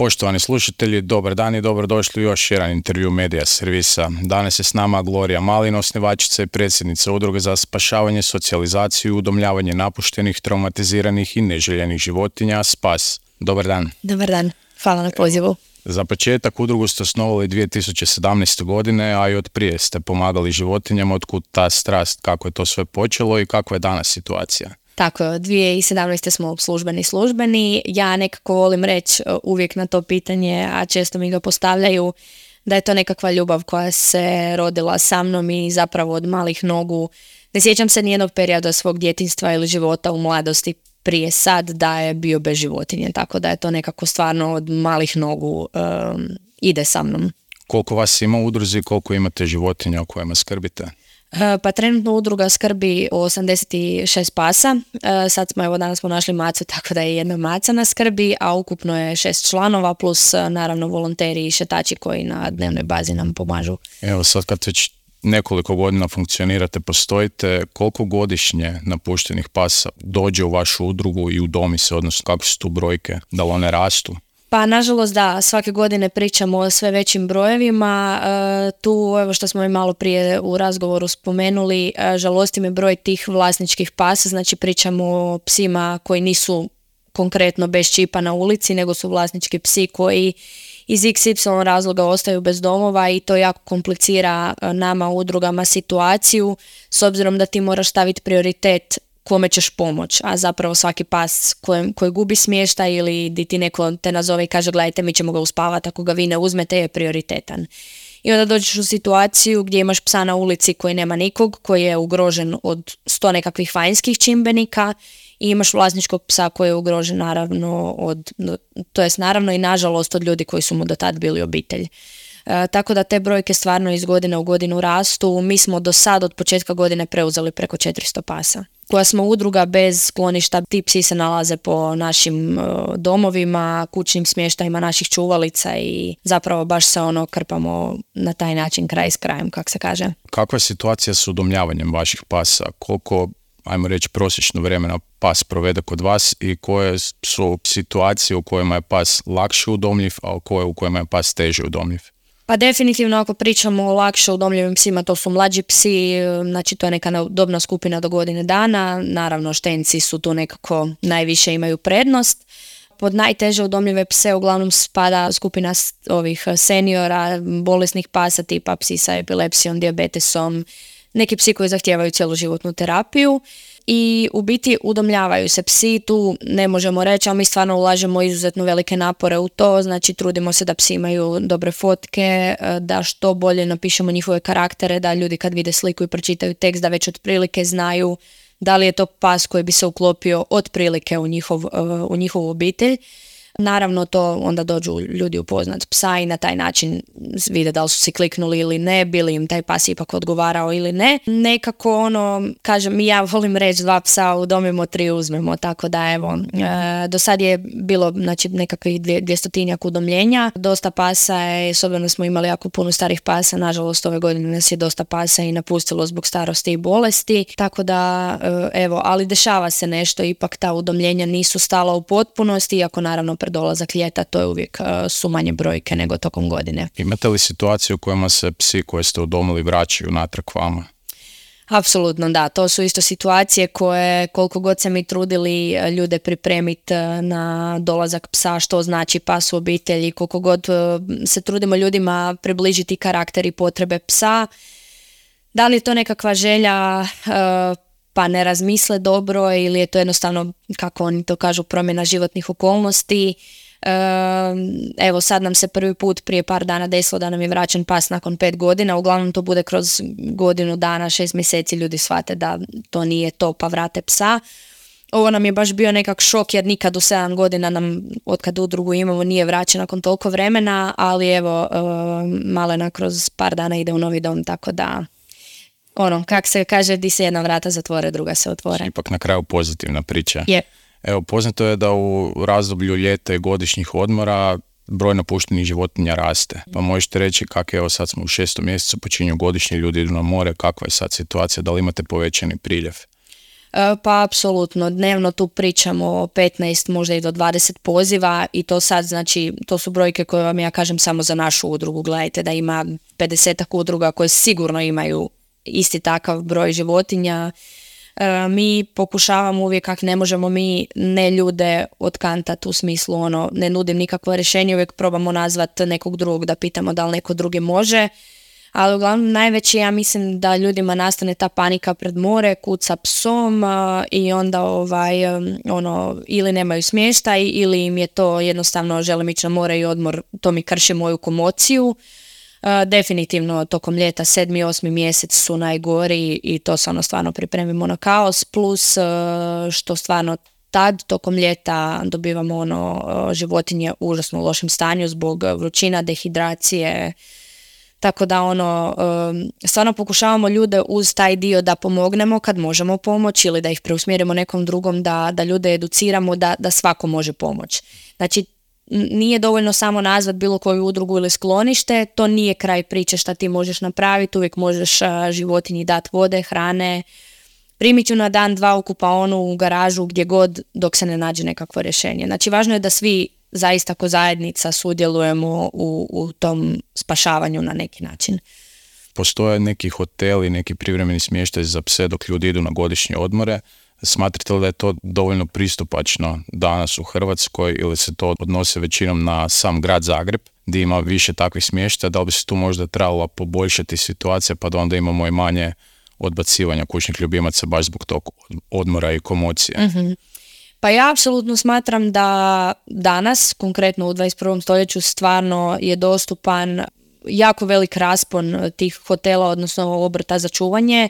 Poštovani slušatelji, dobar dan i dobrodošli u još jedan intervju Medija servisa. Danas je s nama Gloria Malin, osnivačica i predsjednica Udruge za spašavanje, socijalizaciju i udomljavanje napuštenih, traumatiziranih i neželjenih životinja Spas. Dobar dan. Dobar dan, hvala na pozivu. Za početak udrugu ste osnovali 2017. godine, a i od prije ste pomagali životinjama. Otkud ta strast, kako je to sve počelo i kakva je danas situacija? Tako, 2017. smo službeni. Ja nekako volim reći uvijek na to pitanje, a često mi ga postavljaju, da je to nekakva ljubav koja se rodila sa mnom i zapravo od malih nogu. Ne sjećam se nijednog perioda svog djetinjstva ili života u mladosti prije sad da je bio bez životinje, tako da je to nekako stvarno od malih nogu ide sa mnom. Koliko vas ima u udruzi, koliko imate životinja o kojima skrbite? Pa trenutno udruga skrbi o 86 pasa, danas smo našli macu, tako da je jedna maca na skrbi, a ukupno je 6 članova plus naravno volonteri i šetači koji na dnevnoj bazi nam pomažu. Evo sad kad već nekoliko godina funkcionirate, postojite, koliko godišnje napuštenih pasa dođe u vašu udrugu i udomi se, odnosno kako su tu brojke, da li one rastu? Pa nažalost da, svake godine pričamo o sve većim brojevima, tu evo što smo i malo prije u razgovoru spomenuli, žalosti me broj tih vlasničkih pasa, znači pričamo o psima koji nisu konkretno bez čipa na ulici, nego su vlasnički psi koji iz XY razloga ostaju bez domova i to jako komplicira nama udrugama situaciju, s obzirom da ti moraš staviti prioritet kome ćeš pomoć, a zapravo svaki pas koji gubi smještaj ili di ti neko te nazove i kaže gledajte mi ćemo ga uspavati, ako ga vi ne uzmete je prioritetan. I onda dođeš u situaciju gdje imaš psa na ulici koji nema nikog, koji je ugrožen od 100 nekakvih vanjskih čimbenika i imaš vlasničkog psa koji je ugrožen naravno i nažalost od ljudi koji su mu do tad bili obitelj. Tako da te brojke stvarno iz godine u godinu rastu. Mi smo do sad od početka godine preuzeli preko 400 pasa. Koja smo udruga bez skloništa, ti psi se nalaze po našim domovima, kućnim smještajima naših čuvalica i zapravo baš se krpamo na taj način kraj s krajem, kako se kaže. Kakva je situacija s udomljavanjem vaših pasa? Koliko, ajmo reći, prosječno vremena pas provede kod vas i koje su situacije u kojima je pas lakše udomljiv, a u kojima je pas teže udomljiv? Pa definitivno ako pričamo o lakše udomljivim psima, to su mlađi psi, znači to je neka dobna skupina do godine dana, naravno štenci su tu nekako najviše imaju prednost. Pod najteže udomljive pse uglavnom spada skupina ovih seniora, bolesnih pasa tipa psi sa epilepsijom, dijabetesom, neki psi koji zahtijevaju cjeloživotnu terapiju. I u biti udomljavaju se psi, tu ne možemo reći, ali mi stvarno ulažemo izuzetno velike napore u to, znači trudimo se da psi imaju dobre fotke, da što bolje napišemo njihove karaktere, da ljudi kad vide sliku i pročitaju tekst da već otprilike znaju da li je to pas koji bi se uklopio otprilike u njihovu obitelj. Naravno to onda dođu ljudi upoznat psa i na taj način vide da li su si kliknuli ili ne, bili im taj pas ipak odgovarao ili ne. Nekako kažem, ja volim reći 2 psa udomimo, 3 uzmemo, tako da evo, do sad je bilo znači nekakvih 200-tinjak udomljenja, dosta pasa je, s obzirom da smo imali jako puno starih pasa, nažalost ove godine nas je dosta pasa i napustilo zbog starosti i bolesti, tako da evo, ali dešava se nešto, ipak ta udomljenja nisu stala u potpunosti, iako naravno pred dolazak ljeta, to je uvijek su manje brojke nego tokom godine. Imate li situaciju u kojima se psi koje ste udomili vraćaju natrag vama? Apsolutno da, to su isto situacije koje koliko god se mi trudili ljude pripremiti na dolazak psa, što znači pas u obitelji, koliko god se trudimo ljudima približiti karakter i potrebe psa, da li je to nekakva želja pa ne razmisle dobro ili je to jednostavno, kako oni to kažu, promjena životnih okolnosti. Evo sad nam se prvi put prije par dana desilo da nam je vraćen pas nakon 5 godina, uglavnom to bude kroz godinu dana, 6 mjeseci ljudi shvate da to nije to pa vrate psa. Ovo nam je baš bio nekak šok jer nikad u 7 godina nam, otkad udrugu imamo, nije vraćen nakon toliko vremena, ali evo malena kroz par dana ide u novi dom, tako da kak se kaže, di se jedna vrata zatvore, druga se otvore. Ipak na kraju pozitivna priča. Je. Evo, poznato je da u razdoblju ljeta i godišnjih odmora broj napuštenih životinja raste. Pa možete reći kako, evo sad smo u 6. mjesecu, počinju godišnji, ljudi idu na more, kakva je sad situacija, da li imate povećani priljev? Pa apsolutno, dnevno tu pričamo o 15, možda i do 20 poziva i to sad, znači, to su brojke koje vam ja kažem samo za našu udrugu. Gledajte da ima 50 udruga koje sigurno imaju isti takav broj životinja. Mi pokušavamo uvijek, kako ne možemo mi ne ljude otkantati, u smislu ne nudim nikakvo rješenje, uvijek probamo nazvati nekog drugog da pitamo da li neko drugi može. Ali uglavnom najveći, ja mislim da ljudima nastane ta panika pred more, kuca psom i onda ili nemaju smještaj ili im je to jednostavno želim ići na more i odmor, to mi krši moju komociju. Definitivno tokom ljeta 7. i 8. mjesec su najgori i to se stvarno pripremimo na kaos, plus što stvarno tad tokom ljeta dobivamo životinje u užasno lošem stanju zbog vrućina, dehidracije. Tako da stvarno pokušavamo ljude uz taj dio da pomognemo kad možemo pomoći ili da ih preusmjerimo nekom drugom, da ljude educiramo da svako može pomoći. Znači, nije dovoljno samo nazvat bilo koju udrugu ili sklonište, to nije kraj priče šta ti možeš napraviti, uvijek možeš životinji dati vode, hrane, primit ću na dan 2 u kupaonu, u garažu, gdje god, dok se ne nađe nekakvo rješenje. Znači, važno je da svi zaista ko zajednica sudjelujemo u tom spašavanju na neki način. Postoje neki hoteli, neki privremeni smještaj za pse dok ljudi idu na godišnje odmore. Smatrate li da je to dovoljno pristupačno danas u Hrvatskoj ili se to odnose većinom na sam grad Zagreb gdje ima više takvih smještaja? Da li bi se tu možda trebala poboljšati situacija pa da onda imamo i manje odbacivanja kućnih ljubimaca baš zbog tog odmora i komocije? Mm-hmm. Pa ja apsolutno smatram da danas, konkretno u 21. stoljeću, stvarno je dostupan jako velik raspon tih hotela, odnosno obrta za čuvanje.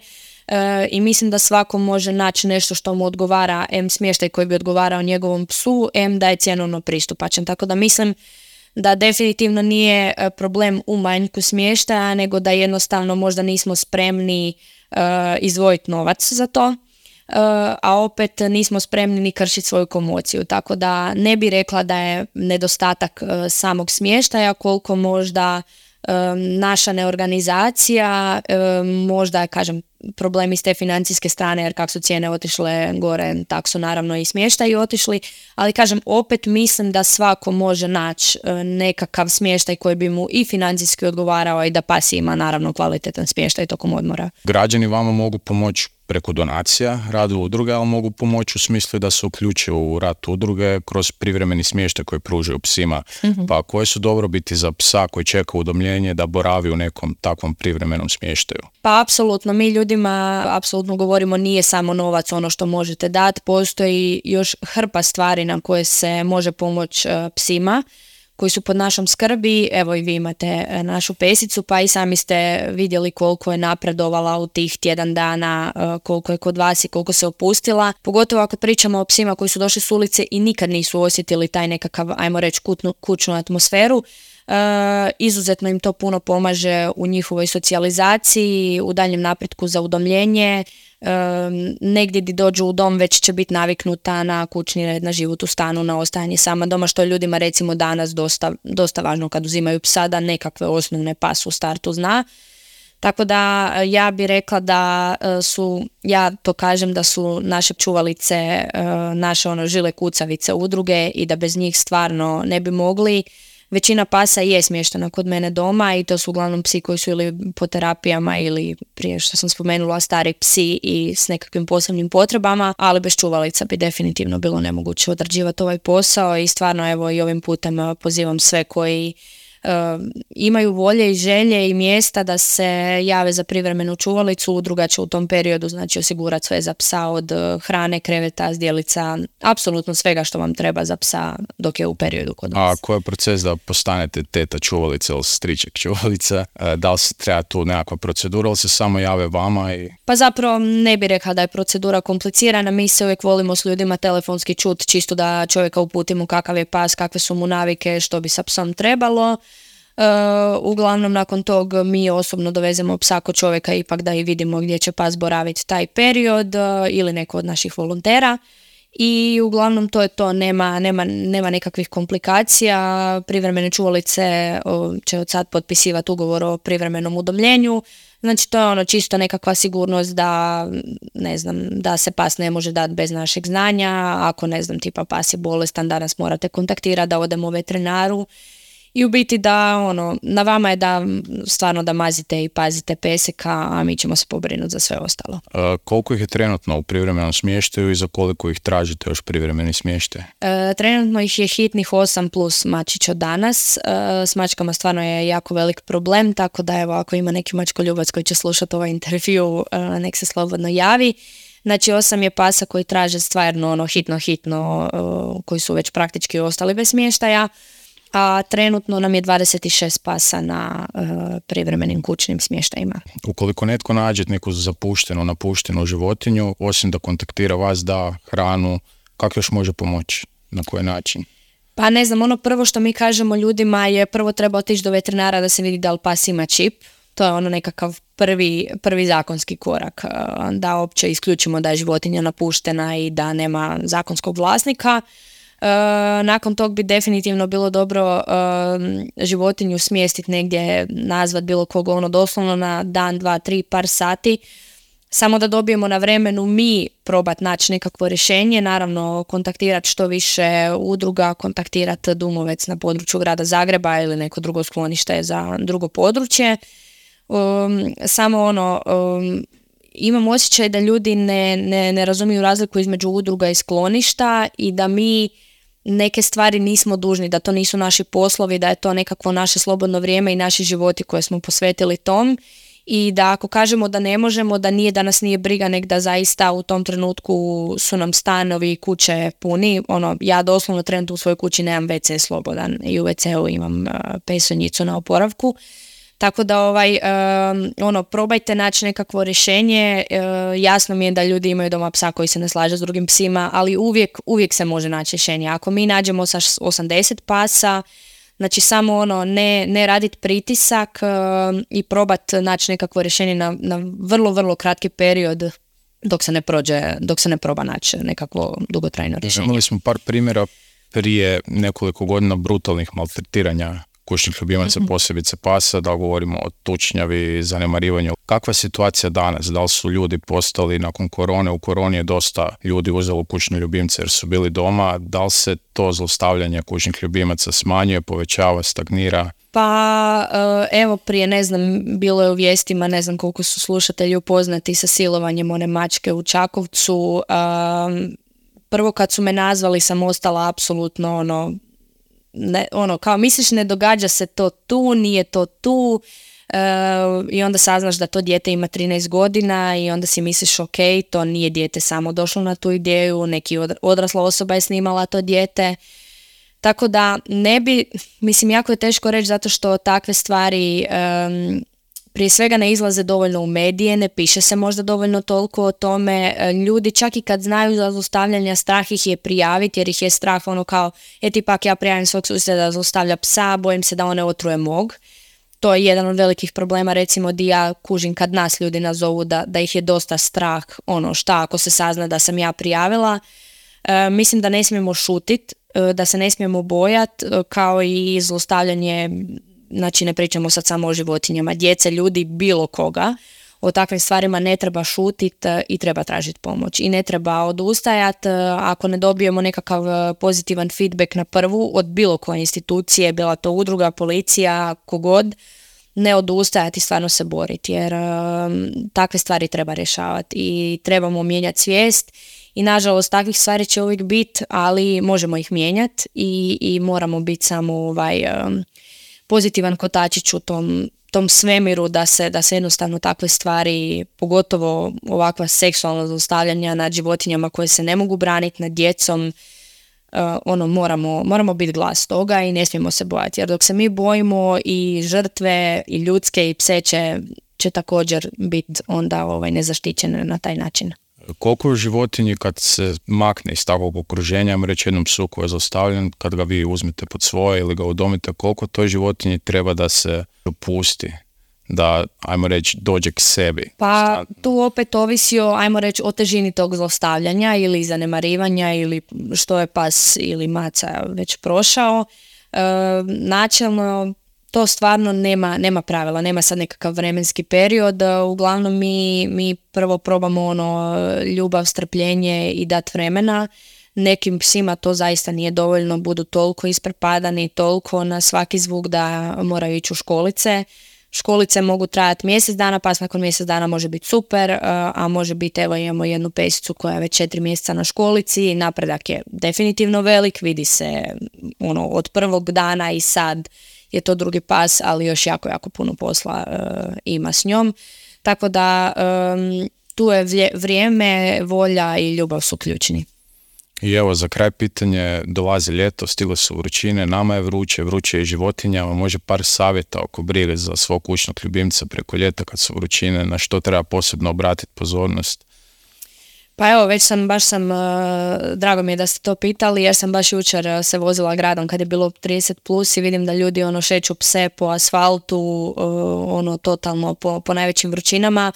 I mislim da svako može naći nešto što mu odgovara, smještaj koji bi odgovarao njegovom psu, da je cjenovno pristupačan. Tako da mislim da definitivno nije problem u manjku smještaja, nego da jednostavno možda nismo spremni izdvojiti novac za to, a opet nismo spremni ni kršiti svoju komociju. Tako da ne bi rekla da je nedostatak samog smještaja, koliko možda naša neorganizacija, možda, kažem, problemi s te financijske strane, jer kako su cijene otišle gore, tako su naravno i smještaji otišli, ali kažem, opet mislim da svako može naći nekakav smještaj koji bi mu i financijski odgovarao i da pas ima naravno kvalitetan smještaj tokom odmora. Građani vama mogu pomoći preko donacija, radu udruge, ali mogu pomoći u smislu da se uključe u rad udruge kroz privremeni smještaj koji pružaju psima. Mm-hmm. Pa koje su dobrobiti za psa koji čeka udomljenje da boravi u nekom takvom privremenom smještaju? Pa apsolutno, mi ljudima apsolutno govorimo nije samo novac ono što možete dati, postoji još hrpa stvari na koje se može pomoći psima koji su pod našom skrbi. Evo i vi imate našu pesicu, pa i sami ste vidjeli koliko je napredovala u tih tjedan dana, koliko je kod vas i koliko se opustila. Pogotovo ako pričamo o psima koji su došli s ulice i nikad nisu osjetili taj nekakav, ajmo reći, kućnu atmosferu. Izuzetno im to puno pomaže u njihovoj socijalizaciji, u daljem napretku za udomljenje. Negdje gdje dođu u dom već će biti naviknuta na kućni red, na život u stanu, na ostajanje sama doma, što je ljudima recimo danas dosta važno kad uzimaju psa, da nekakve osnovne pas u startu zna. Tako da ja bih rekla da ja to kažem da su naše čuvalice, naše žile kucavice udruge i da bez njih stvarno ne bi mogli. Većina pasa je smještena kod mene doma i to su uglavnom psi koji su ili po terapijama ili prije što sam spomenula stari psi i s nekakvim posebnim potrebama, ali bez čuvalica bi definitivno bilo nemoguće odrađivati ovaj posao i stvarno evo i ovim putem pozivam sve koji imaju volje i želje i mjesta da se jave za privremenu čuvalicu. Udruga će u tom periodu znači osigurati sve za psa, od hrane, kreveta, zdjelica, apsolutno svega što vam treba za psa dok je u periodu kod vas. A koji je proces da postanete teta čuvalica ili striček čuvalica? Da li se treba tu nekakva procedura ili se samo jave vama? Pa zapravo ne bih rekla da je procedura komplicirana, mi se uvijek volimo s ljudima telefonski čuti čisto da čovjeka uputimo kakav je pas, kakve su mu navike, što bi sa psom trebalo. Uglavnom nakon tog mi osobno dovezemo psa kod čovjeka ipak da i vidimo gdje će pas boraviti taj period ili neko od naših volontera i uglavnom to je to, nema nekakvih komplikacija. Privremene čuvalice će od sad potpisivati ugovor o privremenom udomljenju. Znači to je ono čisto nekakva sigurnost da, ne znam, da se pas ne može dati bez našeg znanja. Ako, ne znam, tipa pas je bolestan, da nas morate kontaktirati, da odemo veterinaru. I u biti da, na vama je da stvarno da mazite i pazite peseka, a mi ćemo se pobrinuti za sve ostalo. Koliko ih je trenutno u privremenom smještaju i za koliko ih tražite još privremeni smještaj? Trenutno ih je hitnih 8 plus mačić od danas. S mačkama stvarno je jako velik problem, tako da evo, ako ima neki mačkoljubac koji će slušati ovaj intervju, nek se slobodno javi. Znači 8 je pasa koji traže stvarno hitno, koji su već praktički ostali bez smještaja. A trenutno nam je 26 pasa na privremenim kućnim smještajima. Ukoliko netko nađe neku napuštenu životinju, osim da kontaktira vas, da hranu, kako još može pomoći? Na koji način? Pa ne znam, prvo što mi kažemo ljudima je prvo treba otići do veterinara da se vidi da li pas ima čip. To je nekakav prvi zakonski korak, da uopće isključimo da je životinja napuštena i da nema zakonskog vlasnika. Nakon tog bi definitivno bilo dobro životinju smjestiti negdje, nazvat bilo koga doslovno na dan, 2, 3, par sati, samo da dobijemo na vremenu mi probat naći nekakvo rješenje, naravno kontaktirati što više udruga, kontaktirati Dumovec na području grada Zagreba ili neko drugo sklonište za drugo područje. Samo imam osjećaj da ljudi ne razumiju razliku između udruga i skloništa i da mi neke stvari nismo dužni, da to nisu naši poslovi, da je to nekakvo naše slobodno vrijeme i naši životi koje smo posvetili tom i da ako kažemo da ne možemo, da nas nije briga, nek da zaista u tom trenutku su nam stanovi i kuće puni. Ja doslovno trenutno u svojoj kući nemam WC slobodan i u WC-u imam pesonjicu na oporavku. Tako da probajte naći nekakvo rješenje. Jasno mi je da ljudi imaju doma psa koji se ne slaže s drugim psima, ali uvijek se može naći rješenje. Ako mi nađemo sa 80 pasa, znači samo ne raditi pritisak i probati naći nekakvo rješenje na vrlo, vrlo kratki period dok se ne proba naći nekakvo dugotrajno rješenje. Imali smo par primjera prije nekoliko godina brutalnih maltretiranja kućnih ljubimaca, posebice pasa, da govorimo o tučnjavi, zanemarivanju. Kakva je situacija danas? Da li su ljudi postali nakon korone? U koroni je dosta ljudi uzelo kućne ljubimce jer su bili doma. Da li se to zlostavljanje kućnih ljubimaca smanjuje, povećava, stagnira? Pa evo prije, ne znam, bilo je u vijestima, ne znam koliko su slušatelji upoznati sa silovanjem one mačke u Čakovcu. Prvo kad su me nazvali sam ostala apsolutno kao misliš ne događa se to tu, nije to tu i onda saznaš da to dijete ima 13 godina i onda si misliš ok, to nije dijete samo došlo na tu ideju, neki odrasla osoba je snimala to dijete. Tako da jako je teško reći zato što takve stvari prije svega ne izlaze dovoljno u medije, ne piše se možda dovoljno toliko o tome. Ljudi čak i kad znaju za zlostavljanja, strah ih je prijaviti jer ih je strah kao tipak ja prijavim svog susjeda da zlostavlja psa, bojim se da one otruje mog. To je jedan od velikih problema, recimo di ja kužim kad nas ljudi nazovu da ih je dosta strah, šta ako se sazna da sam ja prijavila. Mislim da ne smijemo šutit, da se ne smijemo bojati, kao i zlostavljanje. Znači ne pričamo sad samo o životinjama, djece, ljudi, bilo koga. O takvim stvarima ne treba šutiti i treba tražiti pomoć. I ne treba odustajati ako ne dobijemo nekakav pozitivan feedback na prvu od bilo koje institucije, bila to udruga, policija, kogod, ne odustajati i stvarno se boriti jer takve stvari treba rješavati i trebamo mijenjati svijest. I nažalost takvih stvari će uvijek biti, ali možemo ih mijenjati i moramo biti samo pozitivan kotačić u tom svemiru da se jednostavno takve stvari, pogotovo ovakva seksualna zlostavljanja nad životinjama koje se ne mogu braniti, nad djecom, moramo biti glas toga i ne smijemo se bojati. Jer dok se mi bojimo i žrtve i ljudske i pse će također biti onda nezaštićene na taj način. Koliko u životinji kad se makne iz takvog okruženja, reći jednom psu koji je zlostavljan, kad ga vi uzmete pod svoje ili ga udomite, koliko toj životinji treba da se dopusti da, ajmo reći, dođe k sebi? Pa tu opet ovisi o, ajmo reći, o težini tog zlostavljanja ili zanemarivanja ili što je pas ili maca već prošao. Načelno to stvarno nema pravila, nema sad nekakav vremenski period. Uglavnom mi prvo probamo ljubav, strpljenje i dat vremena. Nekim psima to zaista nije dovoljno, budu toliko isprepadani, toliko na svaki zvuk da moraju ići u školice. Školice mogu trajati mjesec dana, pa nakon mjesec dana može biti super, a može biti, evo imamo jednu pesicu koja je već 4 mjeseca na školici, napredak je definitivno velik, vidi se od prvog dana i sad je to drugi pas, ali još jako puno posla ima s njom. Tako da tu je vrijeme, volja i ljubav su ključni. I evo, za kraj pitanje, dolazi ljeto, stigle su vrućine, nama je vruće i životinjama, može par savjeta oko brige za svog kućnog ljubimca preko ljeta kad su vrućine, na što treba posebno obratiti pozornost? Pa evo, baš sam, drago mi je da ste to pitali, jer sam baš jučer se vozila gradom kad je bilo 30 plus i vidim da ljudi šeću pse po asfaltu, totalno po najvećim vrućinama.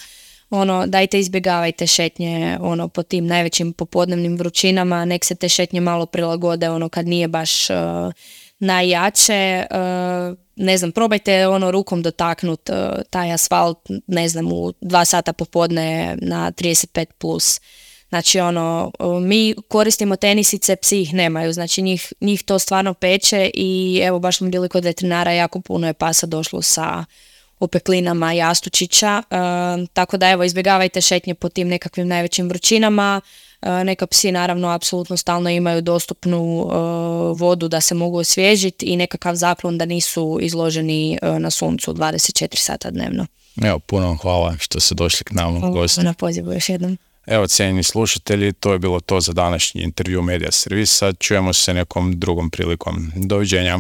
Dajte izbjegavajte šetnje po tim najvećim popodnevnim vrućinama, nek se te šetnje malo prilagode kad nije baš najjače. Ne znam, probajte rukom dotaknut taj asfalt, ne znam, u 2 sata popodne na 35 plus. Znači mi koristimo tenisice, psi ih nemaju, znači njih to stvarno peče i evo baš smo bili kod veterinara, jako puno je pasa došlo sa opeklinama jastučića, tako da evo izbjegavajte šetnje po tim nekakvim najvećim vrućinama. Neka psi naravno apsolutno stalno imaju dostupnu vodu da se mogu osvježiti i nekakav zaklon da nisu izloženi na suncu 24 sata dnevno. Evo, puno vam hvala što ste došli k nama u gosti. Na pozivu još jednom. Evo, cijenjeni slušatelji, to je bilo to za današnji intervju Media Servisa. Čujemo se nekom drugom prilikom. Doviđenja.